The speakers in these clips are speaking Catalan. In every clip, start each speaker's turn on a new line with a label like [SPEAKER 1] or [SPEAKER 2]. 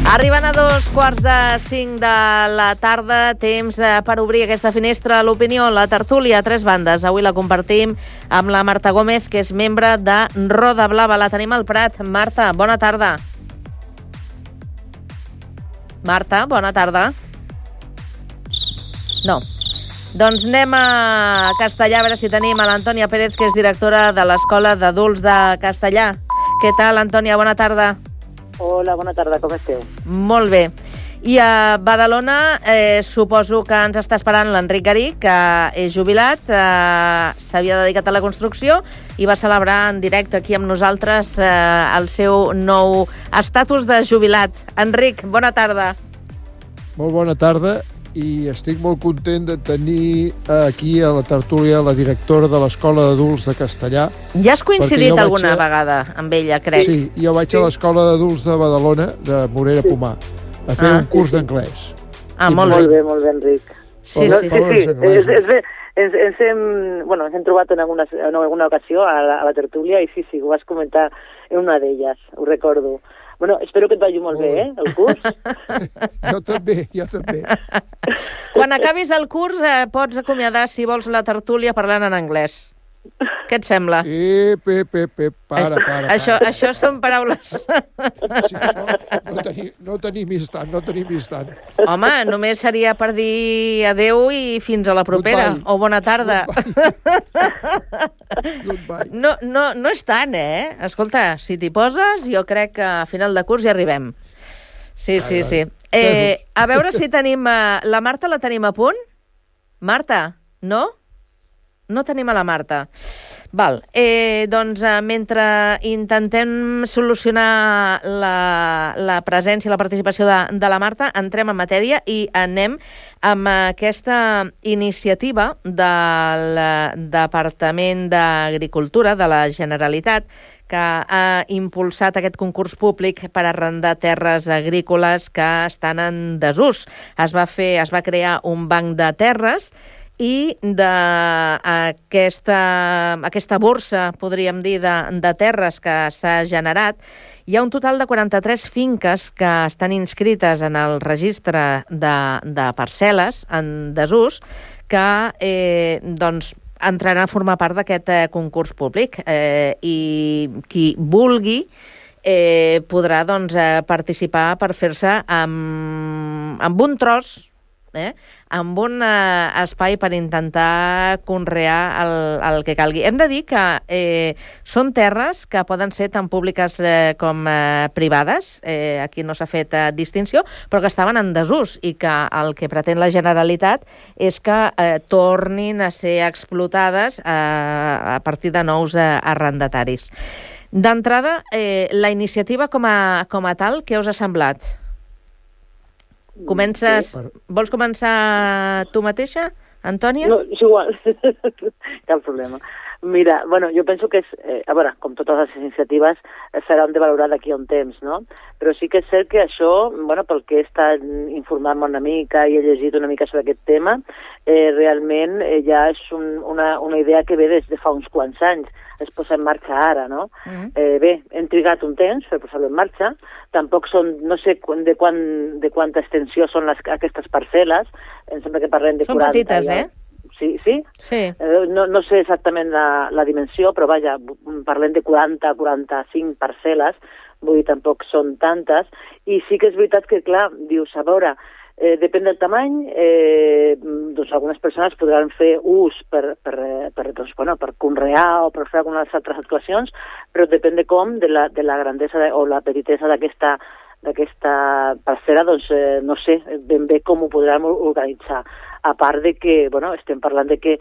[SPEAKER 1] Arribant a 2:45 de la tarda, temps per obrir aquesta finestra a l'opinió, la tertúlia a tres bandes. Avui la compartim amb la Marta Gómez, que és membre de Roda Blava. La tenim al Prat. Marta, bona tarda. Marta, bona tarda. No. Doncs anem a Castellà, a veure si tenim a l'Antònia Pérez, que és directora de l'Escola d'Adults de Castellà. Què tal, Antònia? Bona tarda.
[SPEAKER 2] Hola, bona tarda, com esteu?
[SPEAKER 1] Molt bé. I a Badalona suposo que ens està esperant l'Enric Garí, que és jubilat, s'havia dedicat a la construcció i va celebrar en directe aquí amb nosaltres el seu nou estatus de jubilat. Enric, bona tarda.
[SPEAKER 3] Molt bona tarda i estic molt content de tenir aquí a la tertúlia la directora de l'Escola d'Adults de Castellà.
[SPEAKER 1] Ja has coincidit alguna vegada amb ella, crec.
[SPEAKER 3] Sí, jo vaig a l'Escola d'Adults de Badalona, de Morera Pomar, a fer un curs d'anglès.
[SPEAKER 1] Molt
[SPEAKER 2] bé, Enric.
[SPEAKER 1] Sí.
[SPEAKER 2] Ens hem trobat en alguna ocasió a la tertúlia i sí, ho vas comentar en una d'elles, ho recordo. Bueno, espero que et vagi molt bé, el curs.
[SPEAKER 3] Jo també.
[SPEAKER 1] Quan acabis el curs pots acomiadar, si vols, la tertúlia parlant en anglès. Què et sembla?
[SPEAKER 3] Para.
[SPEAKER 1] Això són paraules.
[SPEAKER 3] Sí, no tenim instant.
[SPEAKER 1] Home, només seria per dir adeu i fins a la propera.
[SPEAKER 3] Goodbye.
[SPEAKER 1] O bona tarda.
[SPEAKER 3] Goodbye.
[SPEAKER 1] No és tant, Escolta, si t'hi poses, jo crec que a final de curs ja arribem. Sí. A veure si tenim... La Marta la tenim a punt? Marta, no? No tenim a la Marta. Val. Doncs mentre intentem solucionar la presència i la participació de la Marta, entrem en matèria i anem amb aquesta iniciativa del Departament d'Agricultura de la Generalitat, que ha impulsat aquest concurs públic per arrendar terres agrícoles que estan en desús. Es va crear un banc de terres i d'aquesta borsa, podríem dir, de terres que s'ha generat, hi ha un total de 43 finques que estan inscrites en el registre de parcel·les en desús que entraran a formar part d'aquest concurs públic. I qui vulgui podrà participar per fer-se amb un tros, amb un espai per intentar conrear el que calgui. Hem de dir que són terres que poden ser tant públiques com privades, aquí no s'ha fet distinció, però que estaven en desús i que el que pretén la Generalitat és que tornin a ser explotades a partir de nous arrendataris. D'entrada, la iniciativa com a tal, què us ha semblat? Vols començar tu mateixa, Antònia?
[SPEAKER 2] No, és igual, cap problema. Mira, jo penso que com totes les iniciatives, seran de valorar d'aquí a un temps, no? Però sí que és cert que això, pel que he estat informant una mica i he llegit una mica sobre aquest tema, realment ja és una idea que ve des de fa uns quants anys. Es posa en marxa ara, no? Hem trigat un temps per posar-lo en marxa. Tampoc no sé de quanta extensió són aquestes parcel·les. Em sembla que parlem de 40.
[SPEAKER 1] Són petites,
[SPEAKER 2] Sí?
[SPEAKER 1] Sí.
[SPEAKER 2] No sé exactament la dimensió, però vaja, parlem de 40-45 parcel·les, vull dir, tampoc són tantes. I sí que és veritat que, clar, dius, a veure, depèn del tamany, algunes persones podran fer ús per conrear o per fer algunes altres actuacions, però depèn de de la grandesa o la petitesa d'aquesta parcel·la, no sé ben bé com ho podrem organitzar. A part de que, estem parlant de que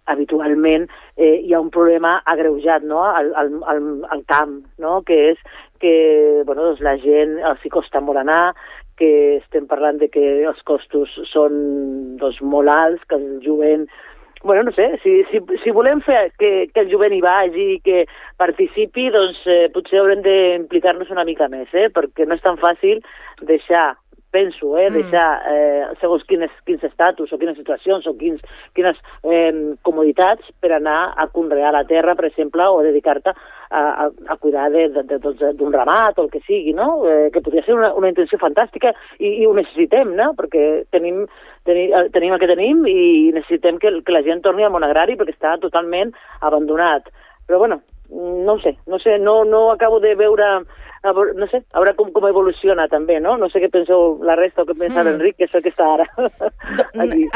[SPEAKER 2] habitualment hi ha un problema agreujat, no?, al camp, no?, que és que, la gent els hi costa molt anar, que estem parlant de que els costos són molt alts, que el jovent... no sé, si volem fer que el jovent hi vagi i que participi, potser haurem d'implicar-nos una mica més, perquè no és tan fàcil deixar segons quins estatus o quines situacions o quines comoditats per anar a conrear la terra, per exemple, o dedicar-te a cuidar d'un ramat o el que sigui, no? Que podria ser una intenció fantàstica i ho necessitem, no? Perquè tenim el que tenim i necessitem que la gent torni al món agrari perquè està totalment abandonat. Però, bueno, no ho sé, no acabo de veure, no sé, a veure com evoluciona també, no? No sé què penseu la resta o què pensa l'Enric, que és el que està ara.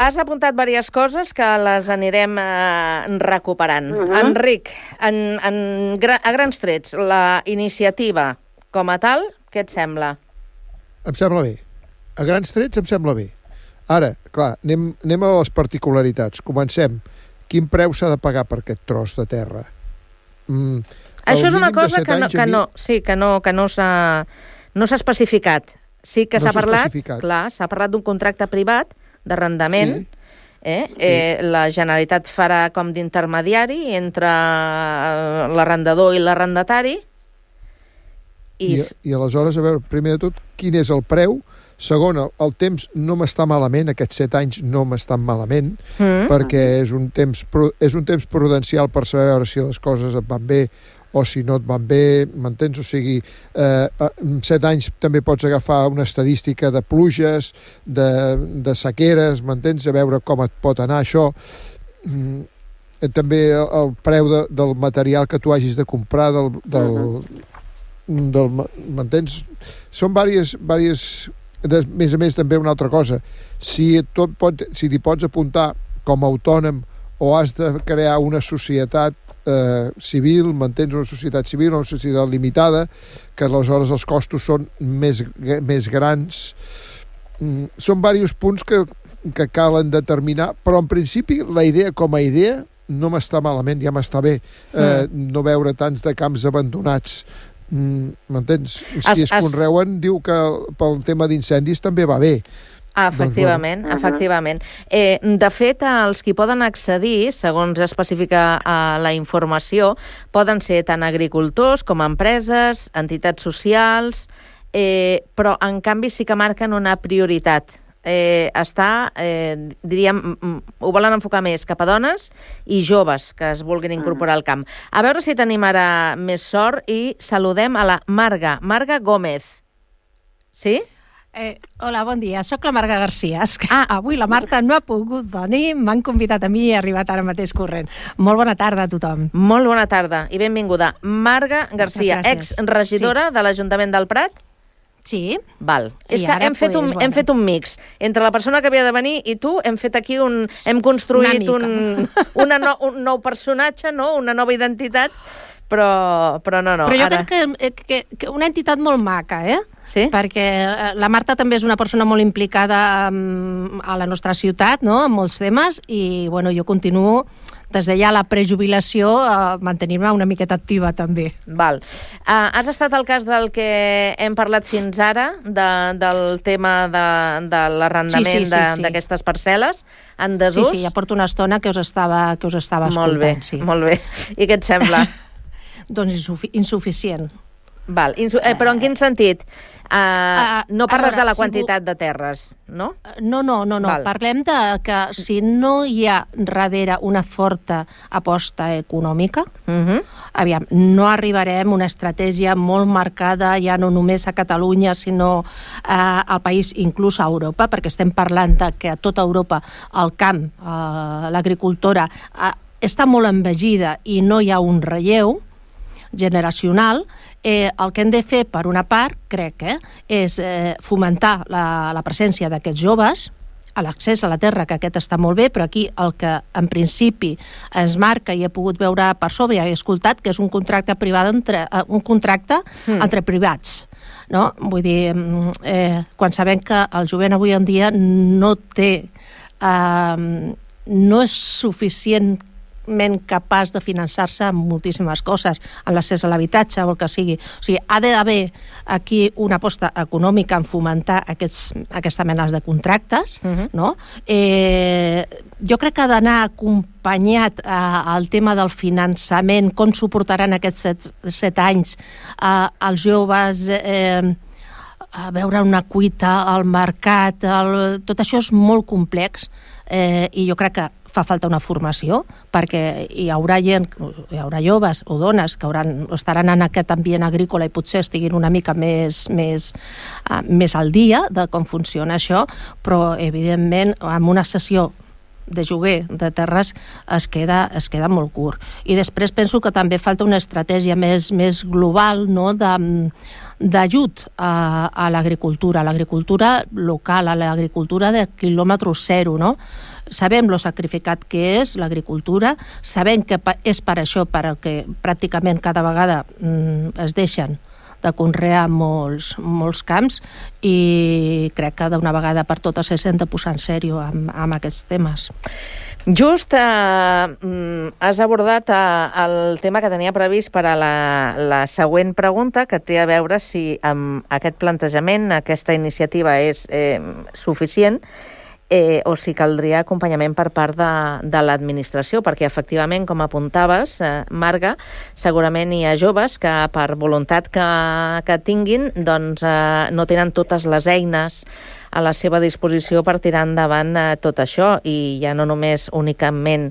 [SPEAKER 1] Has apuntat diverses coses que les anirem recuperant. Enric, a grans trets, la iniciativa com a tal, què et sembla?
[SPEAKER 3] Em sembla bé. A grans trets em sembla bé. Ara, clar, anem a les particularitats. Comencem. Quin preu s'ha de pagar per aquest tros de terra?
[SPEAKER 1] Això és una cosa que no s'ha especificat. Sí que s'ha parlat, clar, s'ha parlat d'un contracte privat d'arrendament. La Generalitat farà com d'intermediari entre l'arrendador i l'arrendatari.
[SPEAKER 3] I aleshores, a veure, primer de tot, quin és el preu? Segon, el temps no m'està malament, aquests 7 anys no m'estan malament, perquè és un temps prudencial per saber si les coses et van bé o si no et van bé, m'entens? O sigui, en 7 anys també pots agafar una estadística de pluges, de sequeres, m'entens? A veure com et pot anar això. També el preu del material que tu hagis de comprar, m'entens? Són diverses... A més, també una altra cosa, si t'hi pots apuntar com a autònom o has de crear una societat civil, m'entens? Una societat civil, una societat limitada, que aleshores els costos són més grans. Són diversos punts que calen determinar, però en principi la idea com a idea no m'està malament, ja m'està bé no veure tants de camps abandonats. M'entens? Si es conreuen, diu que pel tema d'incendis també va bé.
[SPEAKER 1] Efectivament, efectivament. De fet, els qui poden accedir, segons especifica la informació, poden ser tant agricultors com empreses, entitats socials, però en canvi sí que marquen una prioritat. Diríem, ho volen enfocar més cap a dones i joves que es vulguin incorporar al camp. A veure si tenim ara més sort i saludem a la Marga Gómez. Sí?
[SPEAKER 4] Hola, bon dia. Soc la Marga Garcia. Avui la Marta no ha pogut venir, m'han convidat a mi i he arribat ara mateix corrent. Molt bona tarda a tothom.
[SPEAKER 1] Molt bona tarda i benvinguda. Marga Garcia, exregidora de l'Ajuntament del Prat.
[SPEAKER 4] Sí.
[SPEAKER 1] Val. És que hem fet un mix. Entre la persona que havia de venir i tu hem fet aquí hem construït un nou personatge, no? Una nova identitat, però no.
[SPEAKER 4] Però jo crec que una entitat molt maca,
[SPEAKER 1] Sí?
[SPEAKER 4] Perquè la Marta també és una persona molt implicada a la nostra ciutat, no? En molts temes, i bueno, jo continuo des de ja la prejubilació mantenir-me una miqueta activa també.
[SPEAKER 1] Val. Has estat al cas del que hem parlat fins ara, del tema de l'arrendament d'aquestes parcel·les en desús?
[SPEAKER 4] Sí, ja porto una estona que us estava escoltant.
[SPEAKER 1] Molt bé. I què et sembla?
[SPEAKER 4] Doncs insuficient.
[SPEAKER 1] Val. Però en quin sentit? No parles de la quantitat de terres, no?
[SPEAKER 4] No. Parlem de que si no hi ha darrere una forta aposta econòmica, aviam, no arribarem a una estratègia molt marcada ja no només a Catalunya, sinó al país, inclús a Europa, perquè estem parlant de que a tota Europa el camp, l'agricultura, està molt envejida i no hi ha un relleu generacional. El que hem de fer, per una part, crec, és fomentar la presència d'aquests joves, l'accés a la terra, que aquest està molt bé, però aquí el que en principi es marca i he pogut veure per sobre i he escoltat que és un contracte privat entre privats. No? Vull dir, quan sabem que el jovent avui en dia no és suficientment capaç de finançar-se en moltíssimes coses, en l'accés a l'habitatge o el que sigui. O sigui, ha d'haver aquí una aposta econòmica en fomentar aquesta mena de contractes, no? Jo crec que ha d'anar acompanyat al tema del finançament, com suportaran aquests 7 anys els joves, a veure una cuita, al mercat, tot això és molt complex, i jo crec que fa falta una formació, perquè hi haurà joves o dones que estaran en aquest ambient agrícola i potser estiguin una mica més al dia de com funciona això, però evidentment amb una sessió de lloguer de terres es queda molt curt. I després penso que també falta una estratègia més global, no?, d'ajut a l'agricultura local, a l'agricultura de quilòmetre zero, no? Sabem lo sacrificat que és l'agricultura, sabem que és per això per el que pràcticament cada vegada es deixen de conrear molts camps, i crec que d'una vegada per totes s'han de posar en sèrio amb aquests temes.
[SPEAKER 1] Just has abordat el tema que tenia previst per a la següent pregunta, que té a veure si amb aquest plantejament, aquesta iniciativa és suficient, o si caldria acompanyament per part de l'administració, perquè efectivament, com apuntaves, Marga, segurament hi ha joves que per voluntat que tinguin doncs no tenen totes les eines a la seva disposició per tirar endavant tot això, i ja no només únicament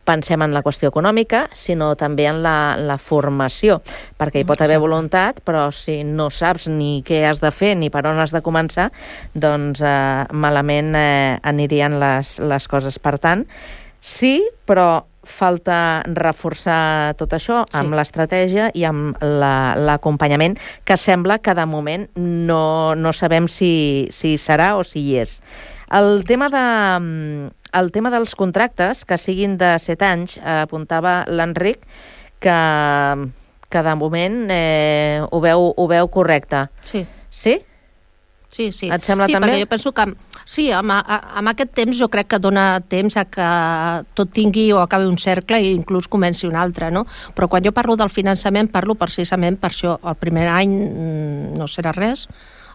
[SPEAKER 1] pensem en la qüestió econòmica, sinó també en la formació, perquè hi pot haver voluntat, però si no saps ni què has de fer ni per on has de començar, doncs malament anirien les coses. Per tant, sí, però falta reforçar tot això amb l'estratègia i amb l'acompanyament, que sembla que de moment no sabem si serà o si hi és. El tema dels contractes, que siguin de 7 anys, apuntava l'Enric, que de moment ho veu correcte.
[SPEAKER 4] Sí.
[SPEAKER 1] Sí?
[SPEAKER 4] Sí.
[SPEAKER 1] Et sembla també?
[SPEAKER 4] Perquè jo penso que sí, amb aquest temps jo crec que dona temps a que tot tingui o acabi un cercle i inclús comenci un altre, no? Però quan jo parlo del finançament, parlo precisament per això. El primer any no serà res,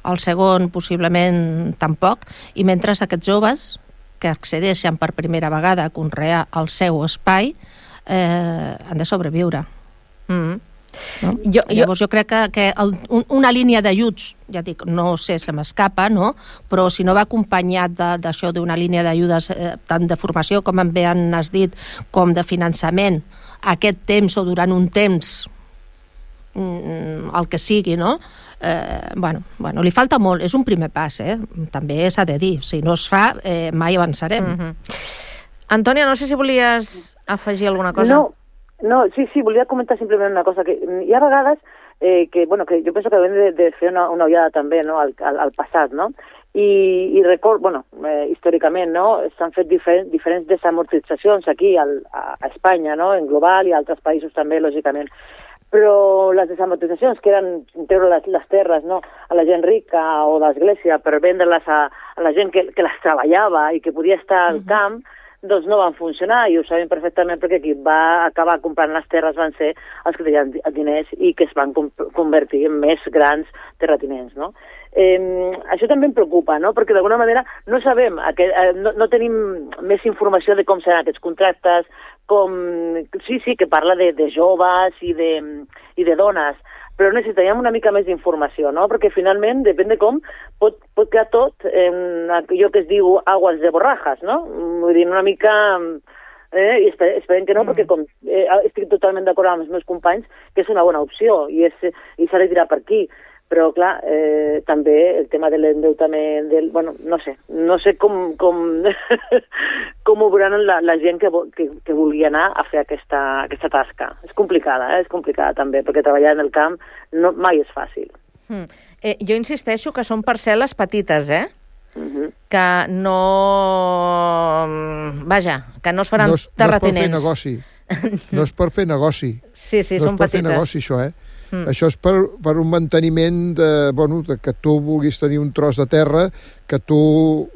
[SPEAKER 4] el segon possiblement tampoc, i mentre aquests joves que accedeixen per primera vegada a conrear el seu espai han de sobreviure. No? Llavors jo crec que una línia d'ajuts, ja dic, no sé, se m'escapa, no? Però si no va acompanyat d'això, d'una línia d'ajudes tant de formació, com bé has dit, com de finançament, aquest temps o durant un temps, el que sigui, no? Bueno, li falta molt, és un primer pas, també s'ha de dir, si no es fa mai avançarem.
[SPEAKER 1] Antònia, no sé si volies afegir alguna cosa.
[SPEAKER 2] No, sí, volia comentar simplement una cosa, que hi ha vegades que jo penso que hem de fer una ullada també, no?, al passat, no? I record, històricament, no?, s'han fet diferents desamortitzacions aquí a Espanya, no?, en global i a altres països també, lògicament. Però les desamortitzacions, que eren treure les terres, no?, a la gent rica o l'església per vendre-les a la gent que les treballava i que podia estar al camp, doncs no van funcionar, i ho sabem perfectament perquè qui va acabar comprant les terres van ser els que tenien diners i que es van convertir en més grans terratinents, no? Això també em preocupa, no?, perquè d'alguna manera no sabem, no tenim més informació de com seran aquests contractes, sí, que parla de joves i de dones, però necessitaríem una mica més d'informació, no?, perquè finalment, depèn de com, pot quedar tot en allò que es diu aguas de borrajas, no? Vull dir, una mica... I esperem que no, perquè estic totalment d'acord amb els meus companys que és una bona opció i s'ha de tirar per aquí. Però, clar, també el tema de l'endeutament, no sé com ho veuran la gent que vulgui anar a fer aquesta tasca. És complicada també, perquè treballar en el camp mai és fàcil.
[SPEAKER 1] Jo insisteixo que són parcel·les petites, que no... Vaja, que no es faran terratinents.
[SPEAKER 3] No és per fer negoci.
[SPEAKER 1] Sí, són petites.
[SPEAKER 3] No és per fer negoci, això, Això és per un manteniment de que tu vulguis tenir un tros de terra, que tu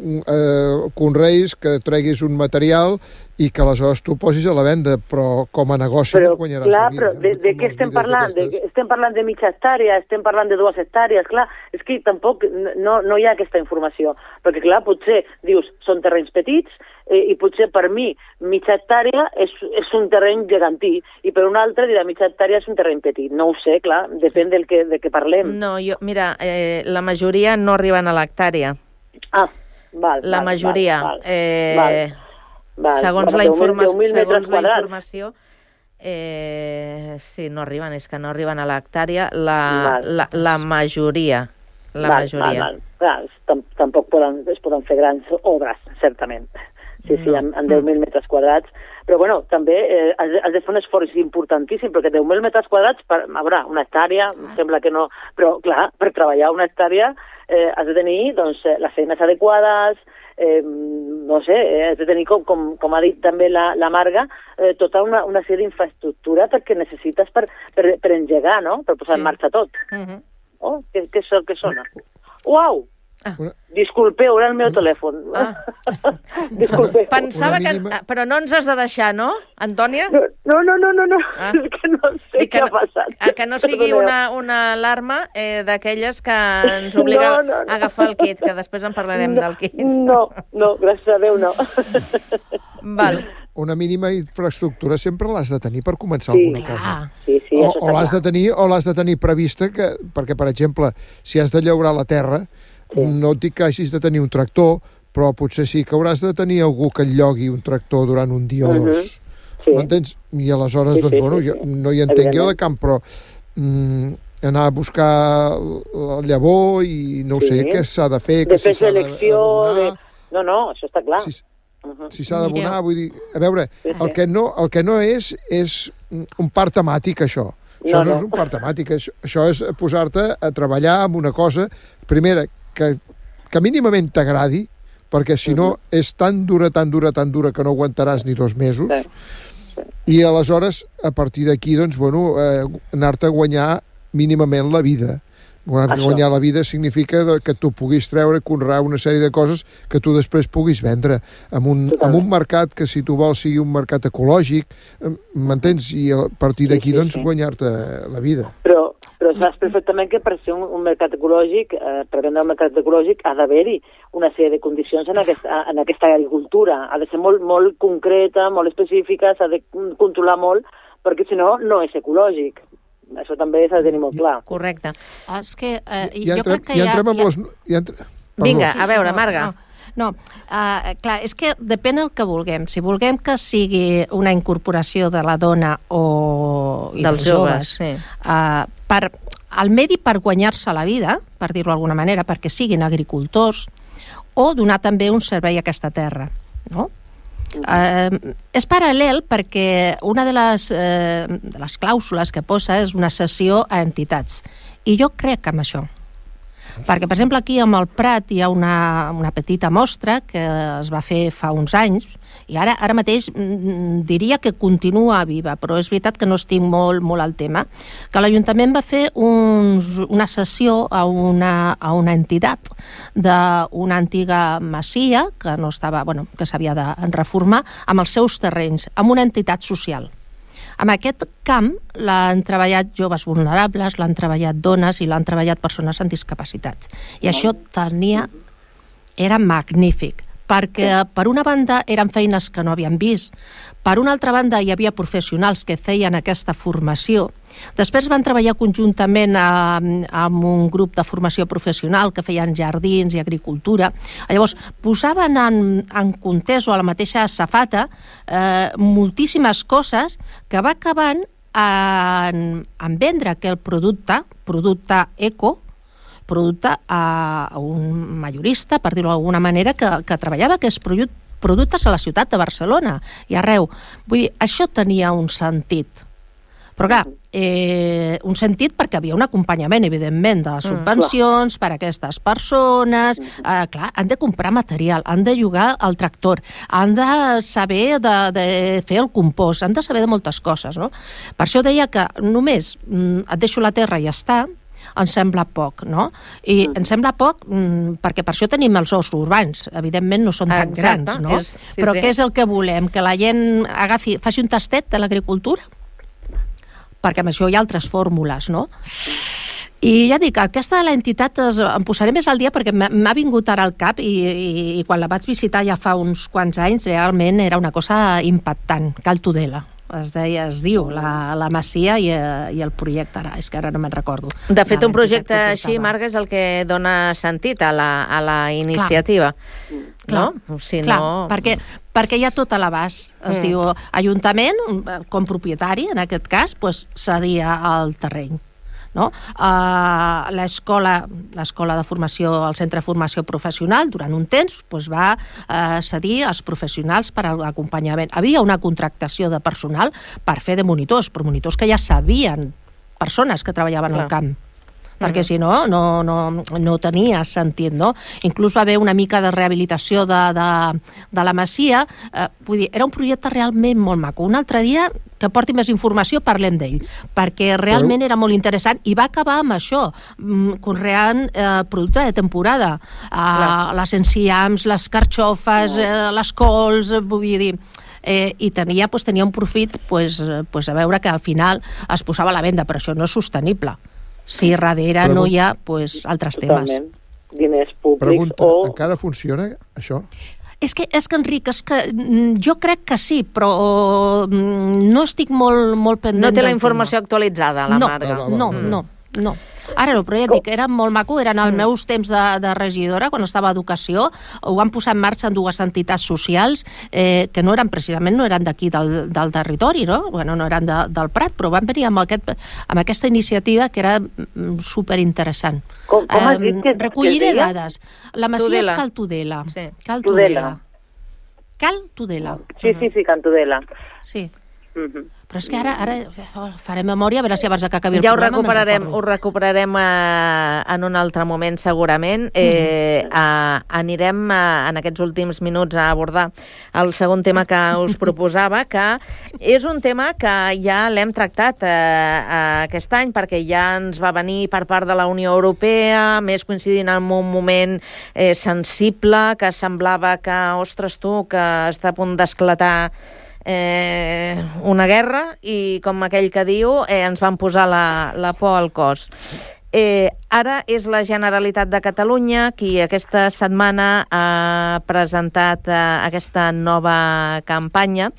[SPEAKER 3] conreis, que treguis un material i que aleshores tu posis a la venda, però com a negoci no guanyaràs la vida.
[SPEAKER 2] Però de què estem parlant? Estem parlant de mitja hectàrea, estem parlant de 2 hectàrees, clar, és que tampoc no hi ha aquesta informació, perquè clar, potser dius, són terrenys petits, i potser per mi mitja hectàrea és un terreny gegantí i per un altre dirà mitja hectàrea és un terreny petit. No ho sé, clar, depèn de què parlem.
[SPEAKER 1] No, mira, la majoria no arriben a l'hectàrea.
[SPEAKER 2] Val.
[SPEAKER 1] La majoria.
[SPEAKER 2] Val.
[SPEAKER 1] Segons la
[SPEAKER 2] informació,
[SPEAKER 1] sí, no arriben, és que no arriben a l'hectàrea la majoria.
[SPEAKER 2] Clar, tampoc es poden fer grans obres, certament. Sí, amb 10.000 metres quadrats. Però, bueno, també has de fer un esforç importantíssim, perquè 10.000 metres quadrats, una hectàrea, sembla que no... Però, clar, per treballar una hectàrea has de tenir, doncs, les feines adequades, no sé, has de tenir, com ha dit també la Marga, tota una sèrie d'infraestructura perquè necessites per engegar, no?, per posar en marxa tot. Oh, què sona? Uau! Disculpeu, era el meu telèfon. Disculpeu.
[SPEAKER 1] Pensava que... Però no ens has de deixar, no, Antònia?
[SPEAKER 2] No. És que no sé què ha passat.
[SPEAKER 1] Que no sigui una alarma d'aquelles que ens obliga a agafar el kit, que després en parlarem del kit.
[SPEAKER 2] No, gràcies a Déu, no.
[SPEAKER 1] Val.
[SPEAKER 3] Una mínima infraestructura sempre l'has de tenir per començar alguna cosa.
[SPEAKER 2] Sí,
[SPEAKER 3] o l'has de tenir prevista, perquè, per exemple, si has de llaurar la terra, no et dic que hagis de tenir un tractor, però potser sí que hauràs de tenir algú que et llogui un tractor durant un dia o dos. M'entens? I aleshores, doncs, bueno, jo no hi entenc jo de camp, però anar a buscar la llavor i no sé què s'ha de fer, que si s'ha d'abonar...
[SPEAKER 2] No, això està clar.
[SPEAKER 3] Si s'ha d'abonar, vull dir... A veure, el que no és un parc temàtic, això. Això no és un parc temàtic, això és posar-te a treballar amb una cosa, primera, que mínimament t'agradi, perquè si no és tan dura que no aguantaràs ni 2 mesos, i aleshores, a partir d'aquí, doncs, bueno, anar-te a guanyar mínimament la vida. Guanyar la vida significa que tu puguis treure, conrear una sèrie de coses que tu després puguis vendre amb un mercat que, si tu vols, sigui un mercat ecològic, m'entens? I a partir d'aquí, doncs, guanyar-te la vida.
[SPEAKER 2] Però saps perfectament que per ser un mercat ecològic, per vendre un mercat ecològic, ha d'haver-hi una sèrie de condicions en aquesta agricultura. Ha de ser molt, molt concreta, molt específica, s'ha de controlar molt, perquè si no, no és ecològic. Això també s'ha de tenir molt clar.
[SPEAKER 1] Correcte.
[SPEAKER 4] És que jo crec que
[SPEAKER 1] Vinga, a veure, Marga.
[SPEAKER 4] No, clar, és que depèn del que vulguem. Si vulguem que sigui una incorporació de la dona i dels joves al medi per guanyar-se la vida, per dir-ho d'alguna manera, perquè siguin agricultors, o donar també un servei a aquesta terra, no? És paral·lel perquè una de les clàusules que posa és una cessió a entitats, i jo crec en això, perquè per exemple aquí amb el Prat hi ha una petita mostra que es va fer fa uns anys i ara mateix diria que continua viva, però és veritat que no estic molt al tema, que l'Ajuntament va fer una cessió a una entitat d'una antiga masia que no estava, que s'havia de reformar, amb els seus terrenys, amb una entitat social. En aquest camp l'han treballat joves vulnerables, l'han treballat dones i l'han treballat persones amb discapacitats. I això era magnífic, perquè per una banda eren feines que no havien vist, per una altra banda hi havia professionals que feien aquesta formació, després van treballar conjuntament amb un grup de formació professional que feien jardins i agricultura. Llavors, posaven en context o a la mateixa safata moltíssimes coses que va acabant en vendre aquell producte eco, producte a un majorista, per dir-ho d'alguna manera, que treballava aquests productes a la ciutat de Barcelona i arreu. Vull dir, això tenia un sentit. Però clar, un sentit perquè havia un acompanyament, evidentment, de subvencions per a aquestes persones. Clar, han de comprar material, han de llogar el tractor, han de saber de fer el compost, han de saber de moltes coses, no? Per això deia que només et deixo la terra i ja està, ens sembla poc, no? I ens sembla poc perquè per això tenim els horts urbans. Evidentment no són tan grans, no? Però què és el que volem? Que la gent faci un tastet de l'agricultura? Perquè amb això hi ha altres fórmules, no? I ja dic, aquesta de l'entitat em posaré més al dia perquè m'ha vingut ara al cap i quan la vaig visitar ja fa uns quants anys realment era una cosa impactant. Cal Tudela es diu, la Masia i el projecte, és que ara no me'n recordo.
[SPEAKER 1] De fet, un projecte així, Marga, és el que dona sentit a la iniciativa. no? Si
[SPEAKER 4] clar,
[SPEAKER 1] no...
[SPEAKER 4] perquè hi ha tot a l'abast. Es diu, Ajuntament, com propietari, en aquest cas, cedia el terreny. No? L'escola de formació, el centre de formació professional, durant un temps, va cedir als professionals per a l'acompanyament. Havia una contractació de personal per fer de monitors, però monitors que ja sabien, persones que treballaven al camp, perquè si no tenia sentit, no? Inclús va haver una mica de rehabilitació de la masia. Vull dir, era un projecte realment molt maco. Un altre dia que porti més informació parlem d'ell, perquè realment era molt interessant i va acabar amb això, conreant producte de temporada. Les enciams, les carxofes, les cols, vull dir... I tenia un profit a veure que al final es posava a la venda, però això no és sostenible si darrere no hi ha altres temes.
[SPEAKER 2] Diners públics.
[SPEAKER 3] Pregunta, encara funciona això?
[SPEAKER 4] És que Enric, jo crec que sí, però no estic molt pendent.
[SPEAKER 1] No té la informació actualitzada, la Marga.
[SPEAKER 4] No. Ara no, però ja et dic, era molt maco, eren els meus temps de regidora, quan estava a Educació, ho van posar en marxa en dues entitats socials que no eren d'aquí del territori, no? Bueno, no eren del Prat, però van venir amb aquesta iniciativa que era superinteressant.
[SPEAKER 2] Com has dit que
[SPEAKER 4] recolliré dades. La masia és Cal Tudela.
[SPEAKER 1] Sí.
[SPEAKER 4] Cal Tudela.
[SPEAKER 2] Sí, Can Tudela.
[SPEAKER 4] Sí. Però és que ara farem memòria, a veure si abans que acabi el
[SPEAKER 1] programa... Ja ho recuperarem en un altre moment, segurament. Anirem en aquests últims minuts a abordar el segon tema que us proposava, que és un tema que ja l'hem tractat aquest any, perquè ja ens va venir per part de la Unió Europea, més coincidint en un moment sensible, que semblava que, ostres tu, que està a punt d'esclatar una guerra, i com aquell que diu, ens van posar la por al cos. Ara és la Generalitat de Catalunya qui aquesta setmana ha presentat aquesta nova campanya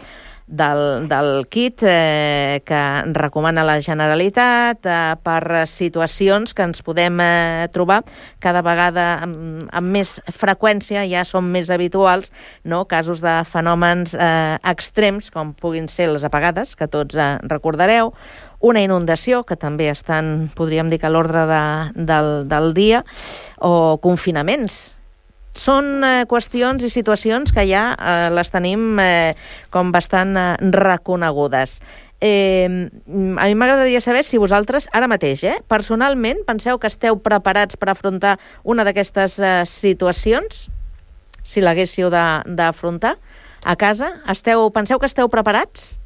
[SPEAKER 1] del kit que recomana la Generalitat per situacions que ens podem trobar cada vegada amb més freqüència, ja són més habituals, no? Casos de fenòmens extrems, com puguin ser les apagades, que tots recordareu, una inundació, que també estan, podríem dir, que a l'ordre del dia, o confinaments. Són qüestions i situacions que ja les tenim com bastant reconegudes. A mi m'agradaria saber si vosaltres, ara mateix, personalment, penseu que esteu preparats per afrontar una d'aquestes situacions, si l'haguéssiu d'afrontar a casa. Penseu que esteu preparats?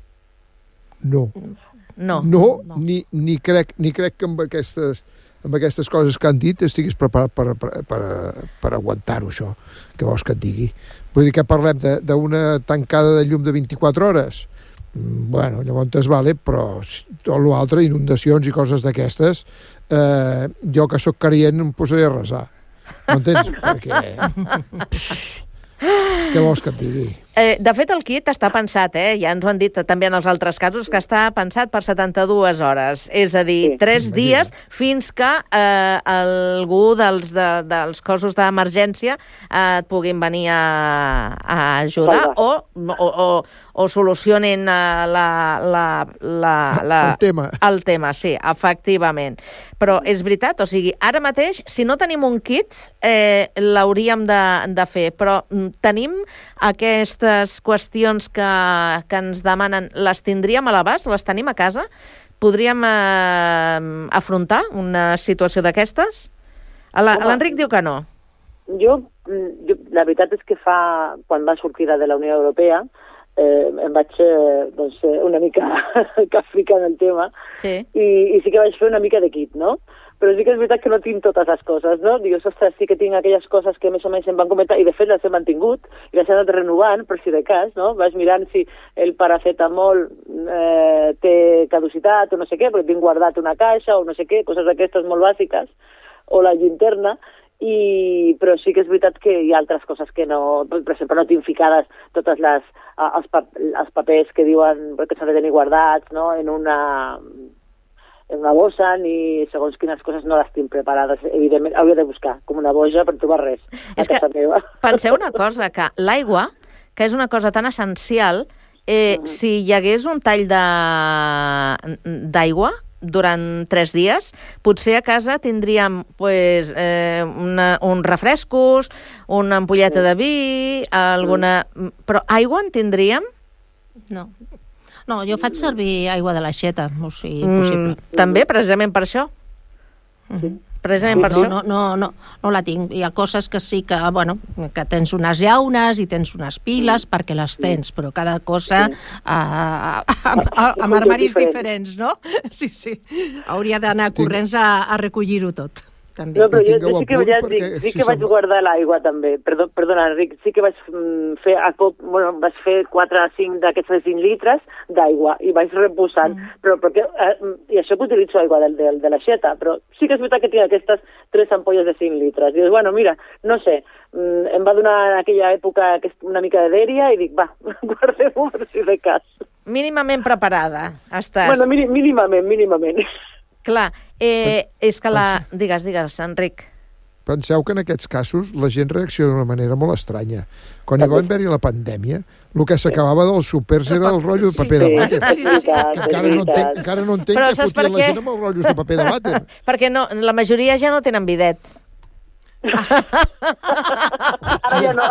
[SPEAKER 3] No.
[SPEAKER 1] No,
[SPEAKER 3] ni crec que amb aquestes coses que han dit estiguis preparat per aguantar-ho, això. Què vols que et digui? Vull dir que parlem d'una tancada de llum de 24 hores? Bueno, llavors vale, però tot l'altre, inundacions i coses d'aquestes, jo que sóc creient em posaré a resar. No entens? Perquè... Què vols que et digui?
[SPEAKER 1] De fet, el kit està pensat, ja ens ho han dit també en els altres casos, que està pensat per 72 hores. És a dir, 3 dies fins que algú dels cossos d'emergència et puguin venir a ajudar o solucionin el tema, sí, efectivament. Però és veritat, o sigui, ara mateix, si no tenim un kit, l'hauríem de fer, però tenim aquestes qüestions que ens demanen, les tindríem a l'abast? Les tenim a casa? Podríem afrontar una situació d'aquestes? L'Enric diu que no.
[SPEAKER 2] Jo, la veritat és que quan va sortir de la Unió Europea, em vaig una mica càfica en el tema,
[SPEAKER 1] sí.
[SPEAKER 2] I sí que vaig fer una mica de kit, no? Però sí que és veritat que no tinc totes les coses, no? Dius, ostres, sí que tinc aquelles coses que més o menys em van comentar, i de fet les he mantingut, i les he anat renovant, per si de cas, no? Vas mirant si el paracetamol té caducitat o no sé què, perquè tinc guardat una caixa o no sé què, coses d'aquestes molt bàsiques, o la llinterna, però sí que és veritat que hi ha altres coses que no, per exemple, no tinc ficades totes els papers que diuen que s'han de tenir guardats, no? una bossa ni segons quines coses no les tinc preparades. Evidentment, hauria de buscar com una boja per trobar res a casa meva.
[SPEAKER 1] Penseu una cosa, que l'aigua, que és una cosa tan essencial, si hi hagués un tall d'aigua durant 3 dies, potser a casa tindríem uns refrescos, una ampolleta de vi, alguna... Però aigua en tindríem?
[SPEAKER 4] No, jo faig servir aigua de l'aixeta, o sigui, possible.
[SPEAKER 1] També, precisament per això? Precisament per això?
[SPEAKER 4] No la tinc. Hi ha coses que sí que, bueno, que tens unes llaunes i tens unes piles perquè les tens, però cada cosa amb armaris diferents, no? Sí. Hauria d'anar corrents a recollir-ho tot. També.
[SPEAKER 2] No, però jo sí que vaig guardar l'aigua també. Perdona, Enric, sí que vaig fer vaig fer 4 o 5 d'aquests 5 litres d'aigua i vaig reposant, però perquè, i això que utilitzo aigua de l'aixeta, però sí que és veritat que tinc aquestes 3 ampolles de 5 litres. Dius, bueno, mira, no sé, em va donar en aquella època una mica de dèria i dic, va, guardem-ho per si de cas.
[SPEAKER 1] Mínimament preparada, estàs.
[SPEAKER 2] Bueno, mínimament.
[SPEAKER 1] Clar, és que Digues, Enric.
[SPEAKER 3] Penseu que en aquests casos la gent reacciona d'una manera molt estranya. Quan hi va haver-hi la pandèmia, el que s'acabava dels súpers era el rotllo de paper de vàter. Encara no entenc que fotien la gent amb els rotllos de paper de vàter.
[SPEAKER 1] Perquè la majoria ja no tenen bidet.
[SPEAKER 2] Ara ja no.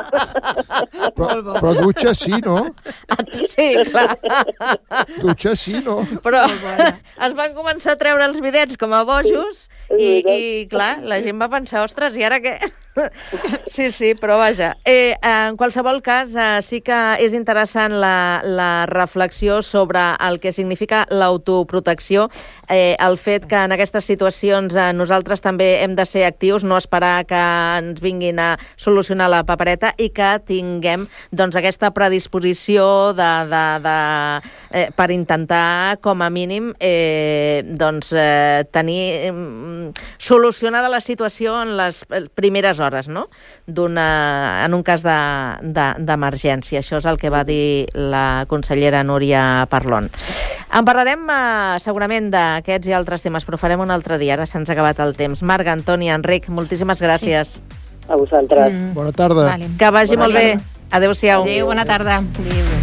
[SPEAKER 3] Però dutxa sí, no?
[SPEAKER 1] Sí, clar.
[SPEAKER 3] Dutxa sí, no?
[SPEAKER 1] Però es van començar a treure els bidets com a bojos i clar, la gent va pensar, ostres, i ara què? Sí, però vaja. En qualsevol cas, sí que és interessant la reflexió sobre el que significa l'autoprotecció, el fet que en aquestes situacions nosaltres també hem de ser actius, no esperar que ens vinguin a solucionar la papereta i que tinguem doncs, aquesta predisposició per intentar, com a mínim, tenir solucionada la situació en les primeres hores, no? En un cas d'emergència. Això és el que va dir la consellera Núria Parlon. En parlarem segurament d'aquests i altres temes, però farem un altre dia. Ara se'ns ha acabat el temps. Marga, Antònia, Enric, moltíssimes gràcies.
[SPEAKER 2] A vosaltres.
[SPEAKER 3] Bona tarda.
[SPEAKER 1] Que vagi molt bé. Adéu-siau.
[SPEAKER 4] Adéu, bona tarda. Adéu.